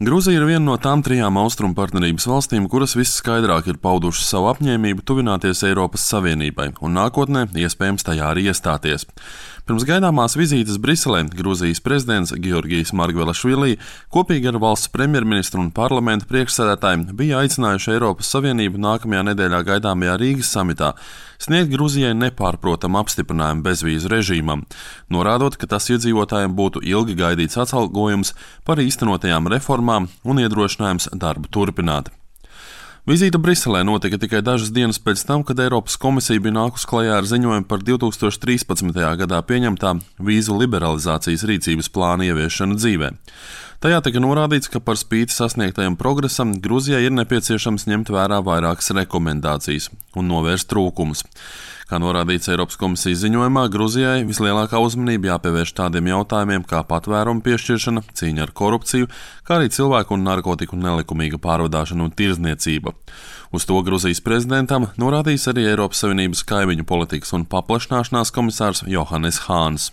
Gruzija ir viena no tām 3 austrumu partnerības valstīm, kuras visskaidrāk ir paudušas savu apņēmību tuvināties Eiropas Savienībai un nākotnē iespējams tajā arī iestāties. Pirms gaidāmās vizītes Briselē Gruzijas prezidents Georgijs Margvelašvili kopīgi ar valsts premjerministru un parlamenta priekšsēdētājiem bija aicinājuši Eiropas Savienību nākamajā nedēļā gaidāmajā Rīgas samitā sniegt Gruzijai nepārprotamu apstiprinājumu bezvīzu režīmam, norādot, ka tas iedzīvotājiem būtu ilgi gaidīts atalgojums par īstenotajām reformām un iedrošinājums darbu turpināt. Vizīte Briselē notika tikai dažas dienas pēc tam, kad Eiropas komisija bija nākus klajā ar ziņojumu par 2013. gadā pieņemtā vīzu liberalizācijas rīcības plāna ieviešanu dzīvē. Tajā tika norādīts, ka par spīti sasniegtajam progresam Gruzijai ir nepieciešams ņemt vērā vairākas rekomendācijas un novērst trūkumus. Kā norādīts Eiropas komisijas ziņojumā, Gruzijai vislielākā uzmanība jāpievērš tādiem jautājumiem kā patvērumu piešķiršana, cīņa ar korupciju, kā arī cilvēku un narkotiku nelikumīga pārvadāšana un tirdzniecība. Uz to Gruzijas prezidentam norādījis arī Eiropas Savienības kaimiņu politikas un paplašināšanās komisārs Johannes Hāns.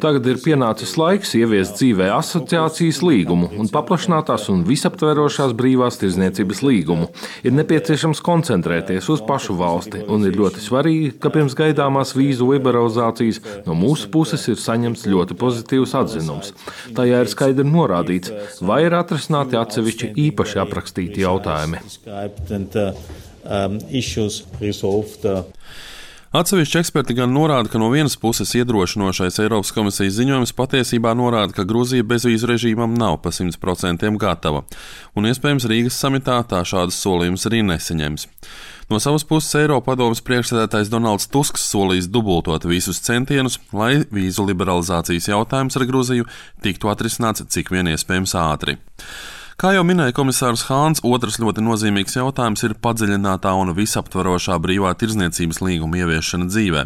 Tagad ir pienācis laiks ieviest dzīvē asociācijas līgumu un paplašinātās un visaptverošās brīvās tirdzniecības līgumu. Ir nepieciešams koncentrēties uz pašu valsti un ir ļoti svarīgi, ka pirms gaidāmās vīzu liberalizācijas no mūsu puses ir saņemts ļoti pozitīvs atzinums. Tajā ir skaidri norādīts, vai ir atrisināti atsevišķi īpaši aprakstīti jautājumi. Atsevišķi eksperti gan norāda, ka no vienas puses iedrošinošais Eiropas komisijas ziņojums patiesībā norāda, ka Gruzija bezvīzu režīmam nav pa 100% gatava, un iespējams Rīgas samitā tā šādas solījumus arī nesaņems. No savas puses Eiropadomes priekšsēdētājs Donalds Tusks solījis dubultot visus centienus, lai vīzu liberalizācijas jautājums ar Gruziju tiktu atrisināts cik vien iespējams ātri. Kā jau minēja komisārs Hāns, otrs ļoti nozīmīgs jautājums ir padziļinātā un visaptvarošā brīvā tirdzniecības līguma ieviešana dzīvē.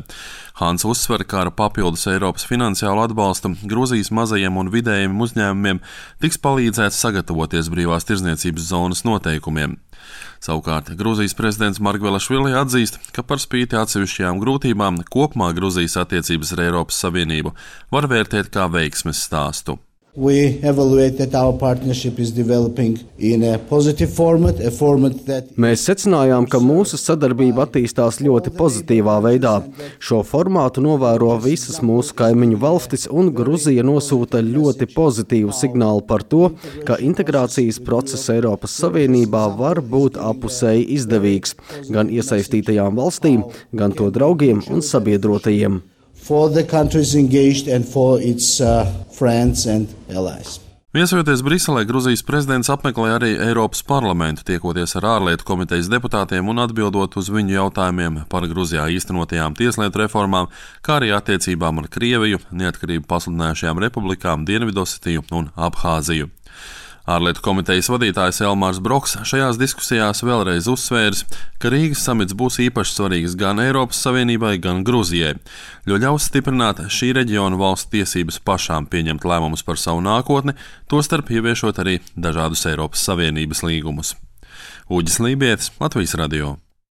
Hāns uzsver, ka ar papildus Eiropas finansiālu atbalstu Gruzijas mazajiem un vidējiem uzņēmumiem tiks palīdzēts sagatavoties brīvās tirdzniecības zonas noteikumiem. Savukārt Gruzijas prezidents Margvelašvili atzīst, ka par spīti atsevišķajām grūtībām kopumā Gruzijas attiecības ar Eiropas Savienību var vērtēt kā veiksmes stāstu. We evaluate that our partnership is developing in a positive format, a format that... Mēs secinājām, ka mūsu sadarbība attīstās ļoti pozitīvā veidā. Šo formātu novēro visas mūsu kaimiņu valstis, un Gruzija nosūta ļoti pozitīvu signālu par to, ka integrācijas process Eiropas Savienībā var būt apusēji izdevīgs gan iesaistītajām valstīm, gan to draugiem un sabiedrotajiem. For the countries engaged and for its friends and allies. Viesojoties Briselē, Gruzijas prezidents apmeklēja arī Eiropas parlamentu, tiekoties ar ārlietu komitejas deputātiem un atbildot uz viņu jautājumiem par Gruzijā īstenotajām tieslietu reformām, kā arī attiecībām ar Krieviju, neatkarību pasludinājušajām republikām Dienvidosetiju un Abhāziju. Ārlietu komitejas vadītājs Elmārs Broks šajās diskusijās vēlreiz uzsvērs, ka Rīgas samits būs īpaši svarīgs gan Eiropas Savienībai, gan Gruzijai, jo ļaus stiprināt šī reģiona valstu tiesības pašām pieņemt lēmumus par savu nākotni, tostarp ieviešot arī dažādus Eiropas Savienības līgumus. Uģis Lībietis, Latvijas radio.